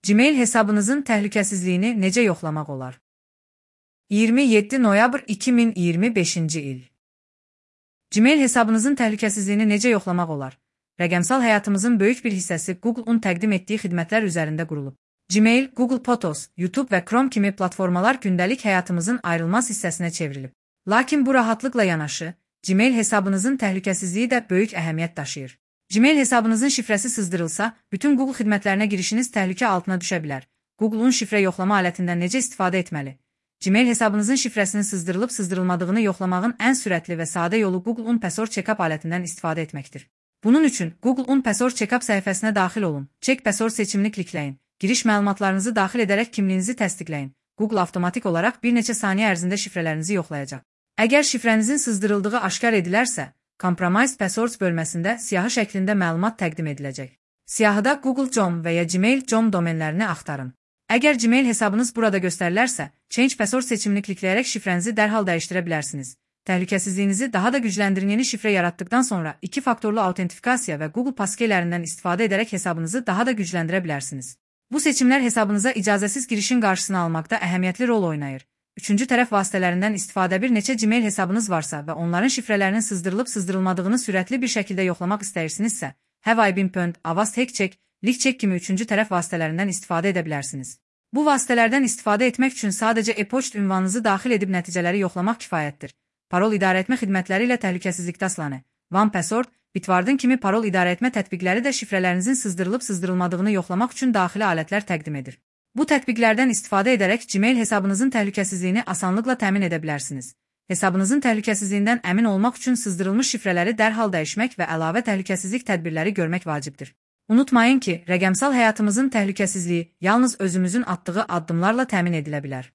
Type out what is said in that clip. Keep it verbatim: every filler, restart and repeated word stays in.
Gmail hesabınızın təhlükəsizliyini necə yoxlamaq olar? iyirmi yeddi noyabr iki min iyirmi beşinci il. Gmail hesabınızın təhlükəsizliyini necə yoxlamaq olar? Rəqəmsal həyatımızın böyük bir hissəsi Google-un təqdim etdiyi xidmətlər üzərində qurulub. Gmail, Google Photos, YouTube və Chrome kimi platformalar gündəlik həyatımızın ayrılmaz hissəsinə çevrilib. Lakin bu rahatlıqla yanaşı, Gmail hesabınızın təhlükəsizliyi də böyük əhəmiyyət daşıyır. Gmail hesabınızın şifrəsi sızdırılsa, bütün Google xidmətlərinə girişiniz təhlükə altına düşə bilər. Google-un şifrə yoxlama alətindən necə istifadə etməli? Gmail hesabınızın şifrəsinin sızdırılıb sızdırılmadığını yoxlamağın ən sürətli və sadə yolu Google-un Password Checkup alətindən istifadə etməkdir. Bunun üçün Google-un Password Checkup səhifəsinə daxil olun, Check Password seçimini klikləyin, giriş məlumatlarınızı daxil edərək kimliyinizi təsdiqləyin. Google avtomatik olaraq bir neçə saniyə ərzində şifrələrinizi yoxlayacaq. Əgər şifrənizin sızdırıldığı aşkar edilərsə, Compromised Passwords bölməsində siyahı şəklində məlumat təqdim ediləcək. Siyahıda Google nöqtə com və ya Gmail nöqtə com domenlərini axtarın. Əgər Gmail hesabınız burada göstərilərsə, Change Password seçimini klikləyərək şifrənizi dərhal dəyişdirə bilərsiniz. Təhlükəsizliyinizi daha da gücləndirin. Yeni şifrə yaratdıqdan sonra iki faktorlu autentifikasiya və Google paskeylərindən istifadə edərək hesabınızı daha da gücləndirə bilərsiniz. Bu seçimlər hesabınıza icazəsiz girişin qarşısını almaqda əhəmiyyətli rol oynayır. Üçüncü tərəf vasitələrindən istifadə bir neçə Gmail hesabınız varsa və onların şifrələrinin sızdırılıb sızdırılmadığını sürətli bir şəkildə yoxlamaq istəyirsinizsə, Have I been pwned, Avast HackCheck, LeakCheck kimi üçüncü tərəf vasitələrindən istifadə edə bilərsiniz. Bu vasitələrdən istifadə etmək üçün sadəcə e-poçt ünvanınızı daxil edib nəticələri yoxlamaq kifayətdir. Parol idarəetmə xidmətləri ilə təhlükəsizlikdə asılanı, OnePassword, Bitwarden kimi parol idarəetmə tətbiqləri də şifrələrinizin sızdırılıb sızdırılmadığını yoxlamaq üçün daxili alətlər təqdim edir. Bu tətbiqlərdən istifadə edərək Gmail hesabınızın təhlükəsizliyini asanlıqla təmin edə bilərsiniz. Hesabınızın təhlükəsizliyindən əmin olmaq üçün sızdırılmış şifrələri dərhal dəyişmək və əlavə təhlükəsizlik tədbirləri görmək vacibdir. Unutmayın ki, rəqəmsal həyatımızın təhlükəsizliyi yalnız özümüzün atdığı addımlarla təmin edilə bilər.